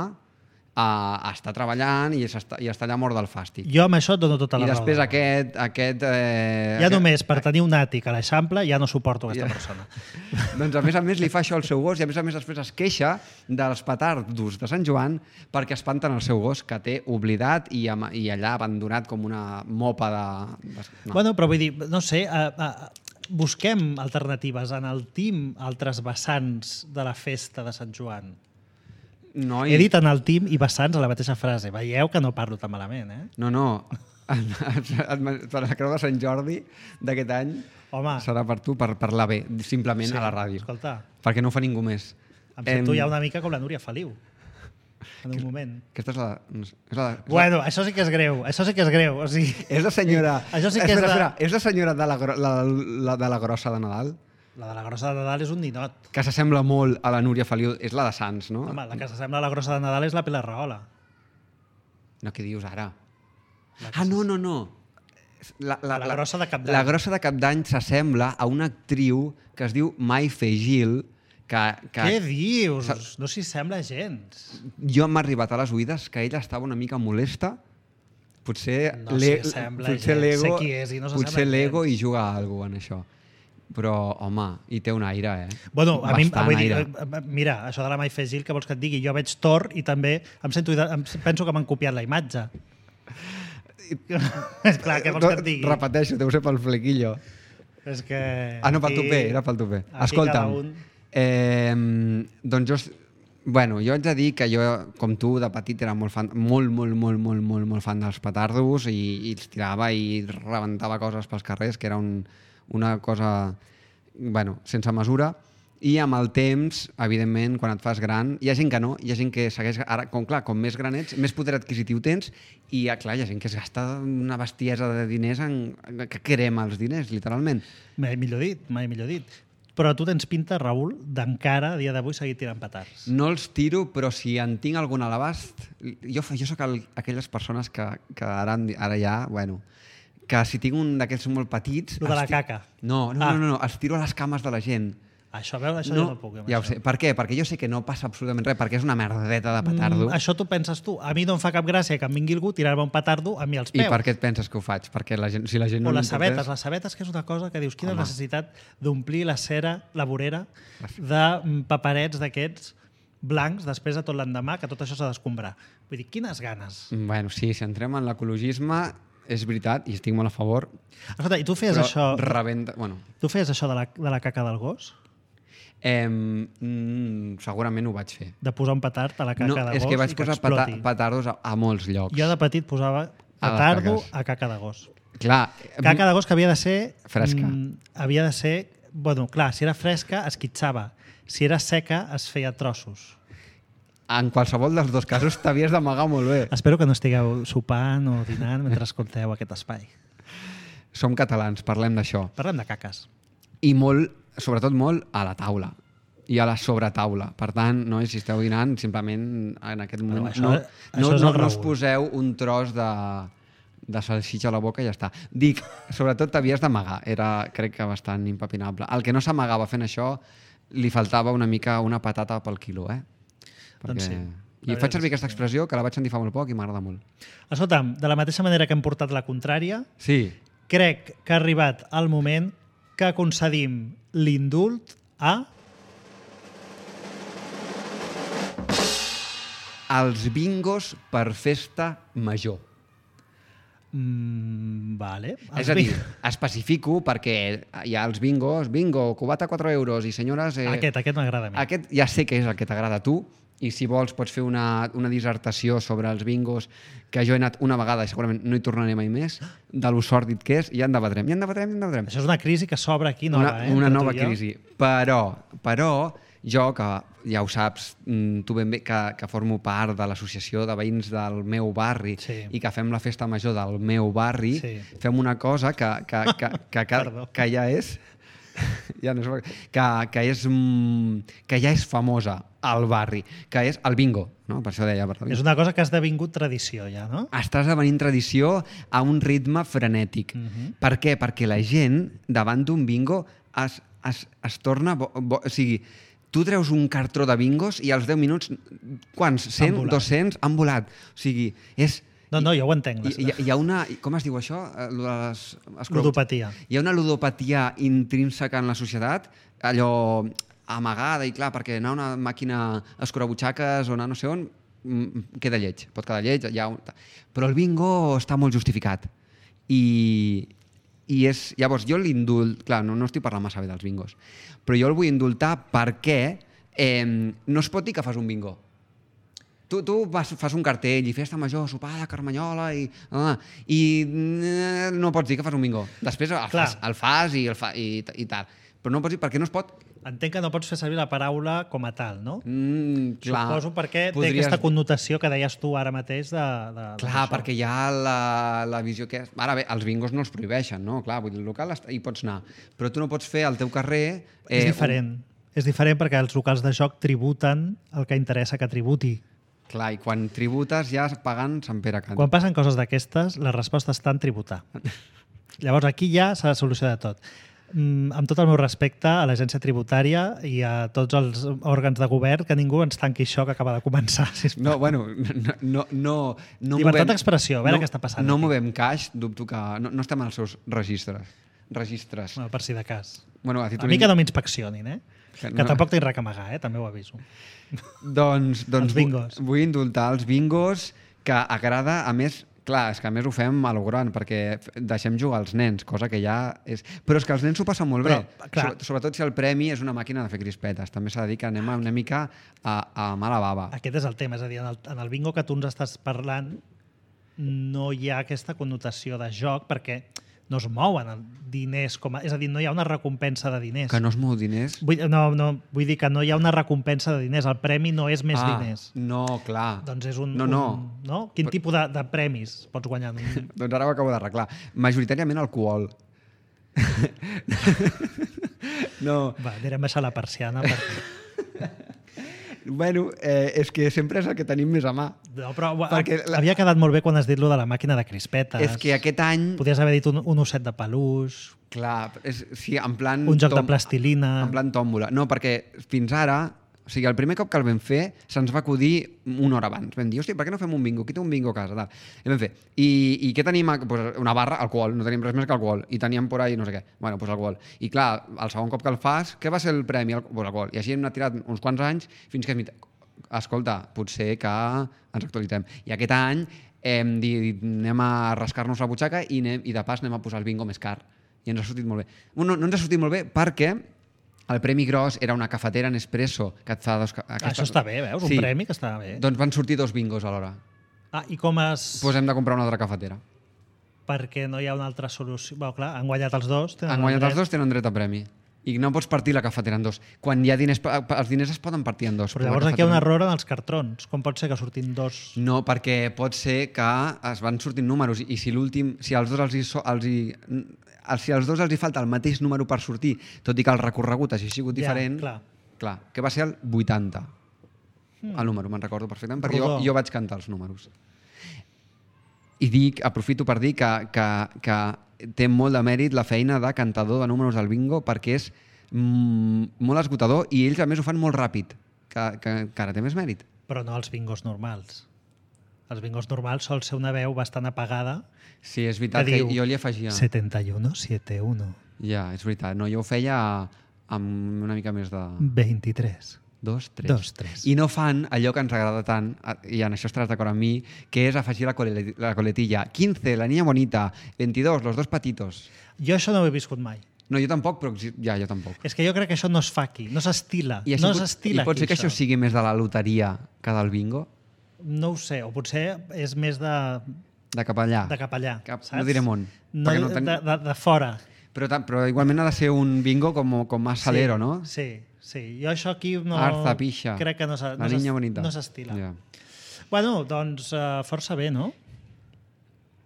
uh, està treballant i està, i està allà mort del fàstic. Jo amb això et dono tota I la raó. després del món. aquest... aquest eh, Ja aquest... només per tenir un àtic a l'Eixample ja no suporto aquesta Ja. persona. Doncs a més a més li fa això al seu gos i a més a més després es queixa dels petardos de Sant Joan perquè espanten el seu gos que té oblidat i, ama- i allà abandonat com una mopa de... de... No. Bueno, però vull dir, no sé, uh, uh, busquem alternatives, enaltim altres vessants de la festa de Sant Joan. no, He dit enaltim i vessants a la mateixa frase. Veieu que no parlo tan malament, eh? No, no. Per la Creu de Sant Jordi d'aquest any Home. serà per tu, per parlar bé, simplement a la ràdio. Escolta, Perquè no ho fa ningú més. em sento Em, ja una mica com la Núria Feliu. en un moment. Aquesta és la... És la és Bueno, això sí que és greu, això sí que és greu. O sigui, és la senyora... Això sí que espera, és la- espera, és la senyora de la, gro- la, la, de la grossa de Nadal, la de la grossa de Nadal és un ninot. que s'assembla molt a la Núria Feliu. És la de Sants, no? Home, la que s'assembla a la grossa de Nadal és la Pilar Rahola. No, què dius ara? Ah, no, no, no. La, La grossa de Cap d'Any. La grossa de Cap d'Any s'assembla a una actriu que es diu Mai Fegil, que, que Què dius? No s'hi sembla gens. jo m'ha arribat a les oïdes que ella estava una mica molesta. Potser No le- s'hi sembla potser gens. l'ego Sé qui és i no s'assembla potser l'ego gens. hi juga a alguna cosa en això. Però, home, hi té un aire, eh? Bueno, a mi, Bastant vull dir, aire. eh, mira, això de la Mai Fegil, que vols que et digui? Jo veig Thor i també em sento, em penso que m'han copiat la imatge. És clar, què vols que et digui? Repeteixo, deu ser pel flequillo. És que... Ah, no, pel aquí- tupé, era pel tupé. aquí Escolta'm, cada un- eh, doncs jo... Bueno, jo haig de dir que jo, com tu, de petit era molt fan, molt, molt, molt, molt, molt, molt fan dels petardos i, i els tirava i rebentava coses pels carrers, que era un, una cosa, bueno, sense mesura. I amb el temps, evidentment, quan et fas gran, hi ha gent que no, hi ha gent que segueix... Ara, com, clar, com més gran ets, més poder adquisitiu tens i, clar, hi ha gent que es gasta una bestiesa de diners en, que crema els diners, literalment. Mai millor dit, mai millor dit. Però tu tens pinta, Raül, d'encara, a dia d'avui, seguir tirant petards. No els tiro, però si en tinc algun a l'abast... Jo, jo sóc el, aquelles persones que, que ara, ara ja, bueno, que si tinc un d'aquests molt petits... Lo de la els ti- caca. No, no, Ah. no, no, no, els tiro a les cames de la gent. Això, veus, això no, jo no puc. amb ja ho això. sé. Per què? Perquè jo sé que no passa absolutament res, perquè és una merdeta de petardo. Mm, això tu penses tu. A mi no em fa cap gràcia que em vingui algú tirar-me un petardo a mi als I peus. per què et penses que ho faig? Perquè la gent, si la gent no O les li importés- sabetes. Les sabetes, que és una cosa que dius, quina Home. necessitat d'omplir la cera, la vorera, de mm, paperets d'aquests blancs després de tot l'endemà, que tot això s'ha d'escombrar. Vull dir, quines ganes. Bueno, sí, si entrem en l'ecologisme, és veritat, i estic molt a favor, Escolta, i tu feies però això... rebenta... Bueno, Tu feies això de la, de la caca del gos? eh, mm, segurament ho vaig fer. De posar un petard a la caca No, de és gos que vaig i que posar peta exploti? petardos a, a molts llocs. Jo de petit posava les petardo caques. a caca de gos. Clar, Caca de gos que havia de ser... Fresca. Mm, havia de ser... Bueno, clar, si era fresca es quitxava. Si era seca es feia trossos. en qualsevol dels dos casos t'havies d'amagar molt bé. Espero que no estigueu sopant o dinant mentre escolteu aquest espai. Som catalans, parlem d'això. Parlem de caques. I molt, sobretot molt, a la taula i a la sobretaula. Per tant, no, si esteu dinant, simplement en aquest moment Bueno, això- no, això no, és no, el no us Raül. poseu un tros de, de salsitxa a la boca i ja està. Dic, sobretot t'havies d'amagar. Era, crec que, bastant impepinable. El que no s'amagava fent això, li faltava una mica una patata pel quilo, eh? Doncs sí. I faig servir aquesta expressió, que la vaig sentir fa molt poc i m'agrada molt. Escolta'm, de la mateixa manera que hem portat la contrària, Sí, crec que ha arribat el moment que concedim l'indult a... els bingos per festa major. Mm, vale. És a dir, especifico perquè hi ha els bingos, bingo, cubata quatre euros i senyores... Eh, Aquest, aquest m'agrada a mi. aquest ja sé que és el que t'agrada a tu i si vols pots fer una, una dissertació sobre els bingos que jo he anat una vegada i segurament no hi tornaré mai més, de lo sòrdid que és, i ja en debatrem, ja en debatrem, ja en debatrem. Això és una crisi que s'obre aquí nova, una, eh? una entre tu nova i jo. crisi. Però, però jo, que ja ho saps, mm, tu ben bé, que, que formo part de l'associació de veïns del meu barri Sí. i que fem la festa major del meu barri, Sí. fem una cosa que, que, que, que, que, Perdó. que ja és... ja no és, que, que, és, mm, que ja és famosa al barri, que és el bingo. No? Per això deia... Per És una cosa que ha esdevingut tradició ja, no? està esdevenint tradició a un ritme frenètic. Mhm. Per què? Perquè la gent, davant d'un bingo, es, es, es torna... Bo, bo, o sigui, tu treus un cartró de bingos i als deu minuts, quants? cent, volat. dos-cents, han volat. O sigui, és... No, no, jo ho entenc. Hi, hi, hi ha una... Com es diu això? Eh, lo de les escrocs. Ludopatia. Hi ha una ludopatia intrínseca en la societat, allò amagada i clar, perquè anar a una màquina escurabutxaques o anar no sé on, mm, queda lleig, pot quedar lleig, ja... Però el bingo està molt justificat. I, i és... Llavors, jo l'indult... Clar, no, no estic parlant massa bé dels bingos, però jo el vull indultar perquè eh, no es pot dir que fas un bingo. Tu, tu vas, fas un cartell i festa major, sopada, carmanyola i, ah, i eh, no pots dir que fas un bingo. Després el Clar. fas, el fas i, el fa, i, i tal. Però no pots dir perquè no es pot. Entenc que no pots fer servir la paraula com a tal, no? Mm, clar. Suposo perquè Podries... té aquesta connotació que deies tu ara mateix de, de, Clar, perquè hi ha la, la visió que... Ara bé, els bingos no els prohibeixen, no? Clar, vull dir, el local hi pots anar. Però tu no pots fer al teu carrer... Eh, és diferent. Un... És diferent perquè els locals de joc tributen el que interessa que tributi. Clar, i quan tributes ja pagant Sant Pere Cant. Quan passen coses d'aquestes, la resposta està en tributar. Llavors aquí ja s'ha de solucionar tot. Mm, amb tot el meu respecte a l'agència tributària i a tots els òrgans de govern, que ningú ens tanqui això que acaba de començar. Sisplau. No, bueno, no... no, no, no Llibertat movem, d'expressió, a veure no, què està passant. No aquí. movem caix, dubto que... No, no estem als seus registres. Registres. Bueno, per si de cas. Bueno, a, a mi que no m'inspeccionin, eh? Que no. tampoc tinc res a amagar, eh? També ho aviso. Doncs, doncs els bingos. Vull, vull indultar els bingos, que agrada, a més... Clar, és que a més ho fem a lo gran, perquè deixem jugar als nens, cosa que ja és... Però és que els nens s'ho passen molt bé, Però, sobretot si el premi és una màquina de fer crispetes. També s'ha de dir que anem una mica a, a mala bava. Aquest és el tema, és a dir, en el, en el bingo que tu ens estàs parlant no hi ha aquesta connotació de joc perquè no es mouen diners, com a, és a dir, no hi ha una recompensa de diners. Que no es mou diners? Vull, no, no, vull dir que no hi ha una recompensa de diners, el premi no és més ah, diners. No, clar. Doncs és un... No, no. Un, no? Quin tipus de, de premis pots guanyar? Doncs ara ho acabo d'arreglar. Majoritàriament alcohol. No. Va, anirem a baixar la persiana perquè... Bueno, eh, és que sempre és el que tenim més a mà. No, però Perquè la... havia quedat molt bé quan has dit lo de la màquina de crispetes. És que aquest any... Podries haver dit un, un osset de peluix... Clar, és, sí, en plan... Un joc tom... de plastilina... En plan tòmbola. No, perquè fins ara... O sigui, el primer cop que el vam fer se'ns va acudir una hora abans. Vam dir, hòstia, per què no fem un bingo? Qui té un bingo a casa? Tal. I vam fer. I, i què tenim? Pues una barra, alcohol. No tenim res més que alcohol. I teníem por ahí no sé què. Bueno, pues alcohol. I clar, el segon cop que el fas, què va ser el premi? Pues alcohol. I així hem anat tirat uns quants anys fins que hem dit, escolta, potser que ens actualitzem. I aquest any hem dit, anem a rascar-nos la butxaca i, anem, i de pas anem a posar el bingo més car. I ens ha sortit molt bé. No, no ens ha sortit molt bé perquè el premi gros era una cafetera Nespresso que et fa dos... Aquesta... Això està bé, veus? Un sí. premi que està bé. Doncs van sortir dos bingos alhora. Ah, i com es... Doncs pues hem de comprar una altra cafetera. Perquè no hi ha una altra solució... Bé, clar, han guanyat els dos. Han guanyat els dos, tenen dret a premi. I no pots partir la cafetera en dos. Quan hi ha diners... Els diners es poden partir en dos. Però llavors aquí hi ha un error en els cartrons. Com pot ser que surtin dos? No, perquè pot ser que es van sortint números i si l'últim... Si als dos els hi... Els hi si als dos els hi falta el mateix número per sortir, tot i que el recorregut hagi sigut diferent... Ja, clar. Clar, que va ser el vuitanta. Hmm. El número, me'n recordo perfectament, perquè jo, jo vaig cantar els números. I dic, aprofito per dir que, que, que té molt de mèrit la feina de cantador de números al bingo perquè és mm, molt esgotador i ells a més ho fan molt ràpid, que, que encara té més mèrit. Però no els bingos normals. Els bingos normals sol ser una veu bastant apagada. Sí, és veritat que, que jo li afegia... setenta i u, setanta i u. Ja, és veritat. No, jo ho feia amb una mica més de... vint-i-tres. Dos, tres. Dos, tres. I no fan allò que ens agrada tant, i en això estaràs d'acord amb mi, que és afegir la, cole la coletilla. quinze, la niña bonita. veintidós, los dos patitos. Jo això no ho he viscut mai. No, jo tampoc, però ja, jo tampoc. És que jo crec que això no es fa aquí, no s'estila. I, no pot, s'estila I pot ser aquí, que això sigui més de la loteria que del bingo? No ho sé, o potser és més de... De cap allà. De cap allà, cap, saps? No direm on. No, no ten... de, de, de fora. Però, però igualment ha de ser un bingo com, com más salero, sí, no? Sí, sí. Jo això aquí no... Arza, pixa. Crec que no s'estila. No ja. Bueno, doncs uh, força bé, no?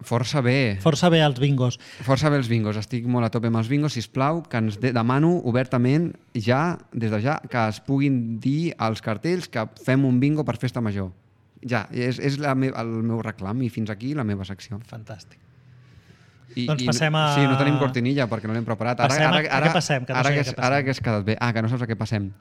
Força bé. Força bé els bingos. Força bé els bingos. Estic molt a tope amb els bingos. Sisplau, que ens de demano obertament ja, des de ja, que es puguin dir als cartells que fem un bingo per festa major. Ja, és, és la me el meu reclam i fins aquí la meva secció. Fantàstic. I, doncs i, passem a... Sí, no tenim cortinilla perquè no l'hem preparat. Ara, passem a... ara, ara, a què passem? Que no ara, sé que, què passem. ara que has quedat bé. Ah, que no saps a què passem.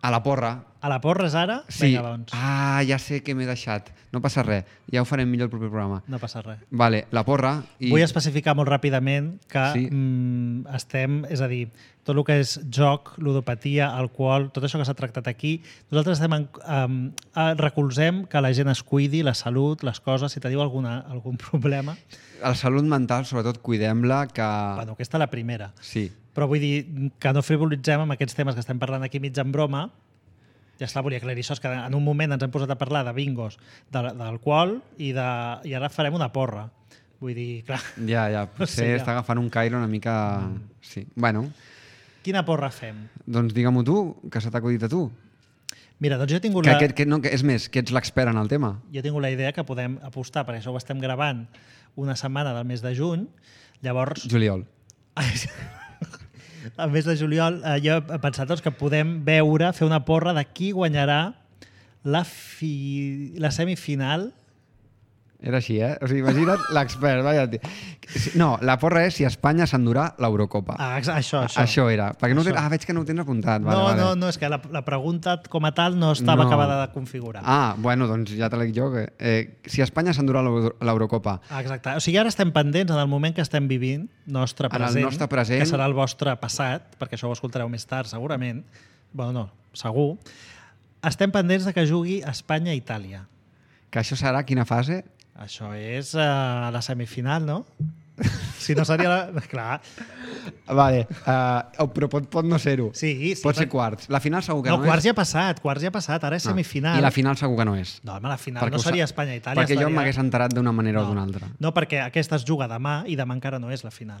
A la porra. A la porra és ara? Sí. Vinga, doncs. Ah, ja sé què m'he deixat. No passa res. Ja ho farem millor el proper programa. No passa res. Vale, la porra... I... Vull especificar molt ràpidament que sí. mm, estem, és a dir, tot el que és joc, ludopatia, alcohol, tot això que s'ha tractat aquí, nosaltres estem en, um, recolzem que la gent es cuidi, la salut, les coses, si teniu alguna, algun problema. La salut mental, sobretot, cuidem-la, que... Bueno, aquesta és la primera. Sí. Però vull dir que no frivolitzem amb aquests temes que estem parlant aquí mig en broma. Ja està, volia aclarir això, és que en un moment ens hem posat a parlar de bingos, d'alcohol, i, de, i ara farem una porra. Vull dir, clar... Ja, ja, potser no sé, ja. està agafant un caire una mica... Mm. Sí, bueno... Quina porra fem? Doncs digue-m'ho tu, que se t'ha acudit a tu. Mira, doncs jo he tingut, Que, la... que, que, no, que és més, que ets l'expert en el tema. jo he tingut la idea que podem apostar, perquè això ho estem gravant una setmana del mes de juny, llavors... Juliol. Al mes de juliol eh, jo he pensat doncs, que podem veure, fer una porra de qui guanyarà la, fi... la semifinal. Era així, eh? O sigui, imagina't l'expert. Vaja, tio. No, la porra és si Espanya s'endurà l'Eurocopa. Ah, exa- això, això. Això era. Perquè no ho Això. tens... Ah, veig que no ho tens apuntat. Vale, no, vale. no, no, és que la, la pregunta com a tal no estava No. acabada de configurar. Ah, bueno, doncs ja te l'he dit jo. Que, eh, si Espanya s'endurà l'Euro- l'Eurocopa, Ah, exacte. O sigui, ara estem pendents en el moment que estem vivint, nostre En el present, nostre present. que serà el vostre passat, perquè això ho escoltareu més tard, segurament. Bueno, no, segur. Estem pendents de que jugui Espanya-Itàlia. que això serà quina fase? Això és uh, la semifinal, no? Si no seria la... Clar. Vale, uh, però pot, pot no ser-ho. Sí, sí. Pot ser perquè- quarts. La final segur que No, no, quarts és. ja ha passat, quarts ja ha passat, ara és No. semifinal. I la final segur que no és. No, home, la final Perquè no ho sa- seria Espanya-Itàlia. Perquè jo estaria- m'hagués enterat d'una manera o d'una altra. No, perquè aquesta es juga demà i demà encara no és la final.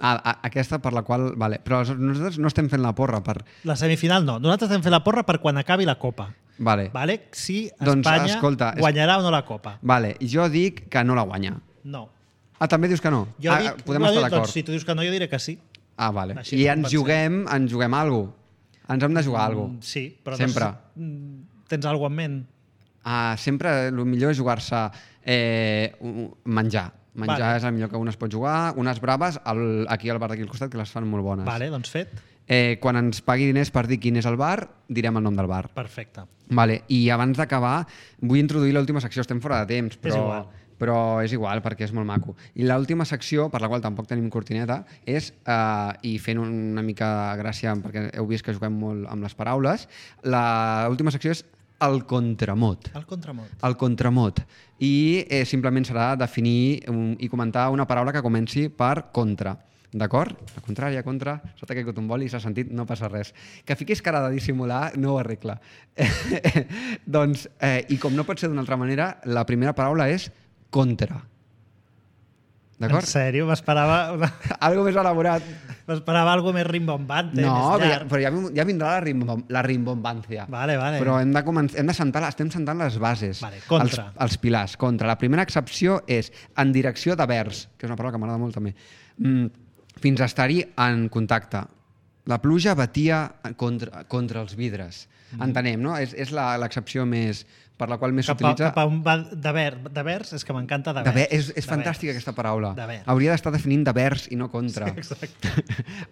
Ah, a- aquesta per la qual... Vale. Però nosaltres no estem fent la porra per... La semifinal no. Nosaltres estem fent la porra per quan acabi la Copa. Vale. Vale? Si Doncs, Espanya escolta, és- guanyarà o no la Copa. Vale, jo dic que no la guanya. No. Ah, també dius que no? Jo ah, dic, podem bueno, estar d'acord. doncs, si tu dius que no, jo diré que sí. Ah, vale. Així I com ens pensem. juguem, ens juguem alguna cosa. Ens hem de jugar alguna Mm, cosa. sí, però Sempre. No, sé- tens alguna cosa en ment? Ah, sempre el millor és jugar-se eh, un- menjar. Menjar Vale. és el millor que un es pot jugar. Unes braves al, aquí al bar d'aquí al costat, que les fan molt bones. Vale, doncs fet. Eh, quan ens pagui diners per dir quin és el bar, direm el nom del bar. Perfecte. Vale. I abans d'acabar, vull introduir l'última secció. Estem fora de temps, però... És igual. però és igual perquè és molt maco. I l'última secció, per la qual tampoc tenim cortineta, és, eh, i fent una mica gràcia, perquè heu vist que juguem molt amb les paraules, l'última secció és el contramot. El contramot. El contramot. I eh, simplement serà definir un, i comentar una paraula que comenci per contra. D'acord? La contrària, contra, sota que un boli s'ha sentit, no passa res. Que fiquis cara de dissimular no ho arregla. Doncs, eh, i com no pot ser d'una altra manera, la primera paraula és contra. En D'acord? sèrio? M'esperava una... Algo més elaborat. M'esperava algo més rimbombante, No, més però ja, llarg. però ja, vin- ja vindrà la, rimbom, la rimbombancia. Vale, vale. Però hem de, començar, hem de sentar, estem sentant les bases, Vale, contra. Els, els pilars. Contra. La primera excepció és en direcció de vers, que és una paraula que m'agrada molt també, mm, fins a estar-hi en contacte. La pluja batia contra, contra els vidres. Mm. Entenem, no? És, és la- l'excepció més per la qual més Cap a, s'utilitza... cap a un va de, ver, de vers, és que m'encanta de De vers. ver, és és De fantàstica vers. aquesta paraula. De vers. Hauria d'estar definint de vers i no contra. Sí, exacte.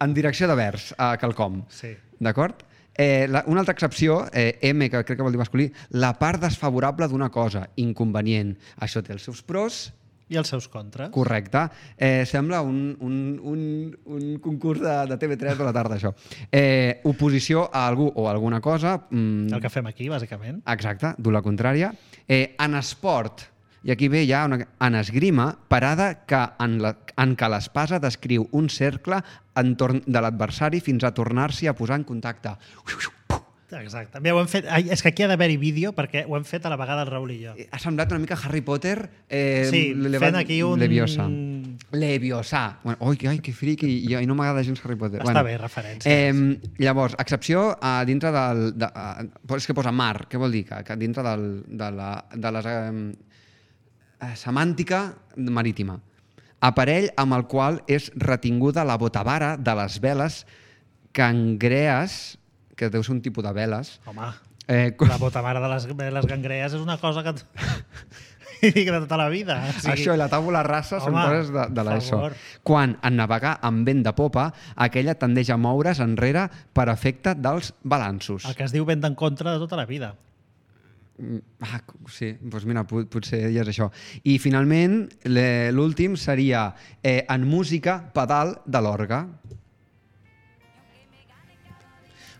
En direcció de vers, a quelcom. Sí. D'acord? Eh, la, una altra excepció, eh, M, que crec que vol dir masculí, la part desfavorable d'una cosa, inconvenient. Això té els seus pros, I els seus contres. correcte. Eh, sembla un, un, un, un concurs de, de T V tres de la tarda, això. Eh, oposició a algú o a alguna cosa. Mm, El que fem aquí, bàsicament. Exacte, dur la contrària. Eh, en esport, i aquí ve ja una, en esgrima, parada que en, la, en què l'espasa descriu un cercle entorn de l'adversari fins a tornar-s'hi a posar en contacte. Exacte. Bé, ho hem fet... Ai, és que aquí ha d'haver-hi vídeo perquè ho hem fet a la vegada el Raül i jo. Ha semblat una mica Harry Potter... Eh, Sí, Levant- fent aquí un... Leviosa. Leviosa. Bueno, oi, ai, que friqui, i, i no m'agrada gens Harry Potter. Està bé, referència. Eh, llavors, excepció a dintre del... De, a, és que posa mar, què vol dir? Que, que dintre del, de, la, de les... Eh, semàntica marítima. Aparell amb el qual és retinguda la botavara de les veles cangrees, que deu ser un tipus de veles. Home, Eh, la botamara de les, de les gangrees és una cosa que... que de tota la vida. O sigui, Això i la tàbula rasa són home, coses de, de l'ESO. favor. Quan, en navegar amb vent de popa, aquella tendeix a moure's enrere per efecte dels balanços. el que es diu vent en contra de tota la vida. Mm, Ah, sí, doncs mira, pot, potser ja és això. I finalment, le- l'últim seria eh, en música, pedal de l'orgue.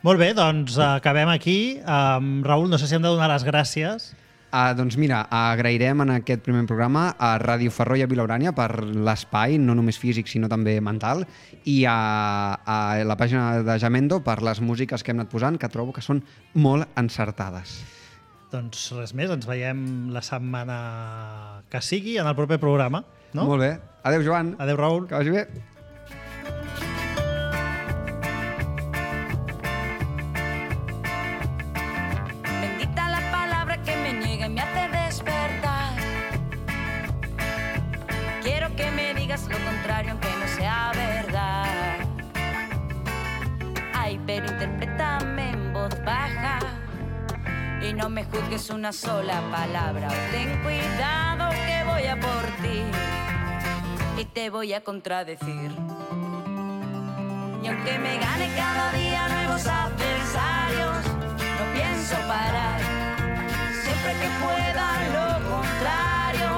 Molt bé, doncs eh, acabem aquí. Um, Raül, no sé si hem de donar les gràcies. Ah, doncs mira, agrairem en aquest primer programa a Ràdio Ferró i a Vilaurània per l'espai, no només físic sinó també mental, i a, a la pàgina de Jamendo per les músiques que hem anat posant, que trobo que són molt encertades. Doncs res més, ens veiem la setmana que sigui en el proper programa. No? Molt bé. Adéu, Joan. Adéu, Raül. Que vagi bé. No me juzgues una sola palabra, ten cuidado que voy a por ti y te voy a contradecir. Y aunque me gane cada día nuevos adversarios, no pienso parar, siempre que pueda lo contrario,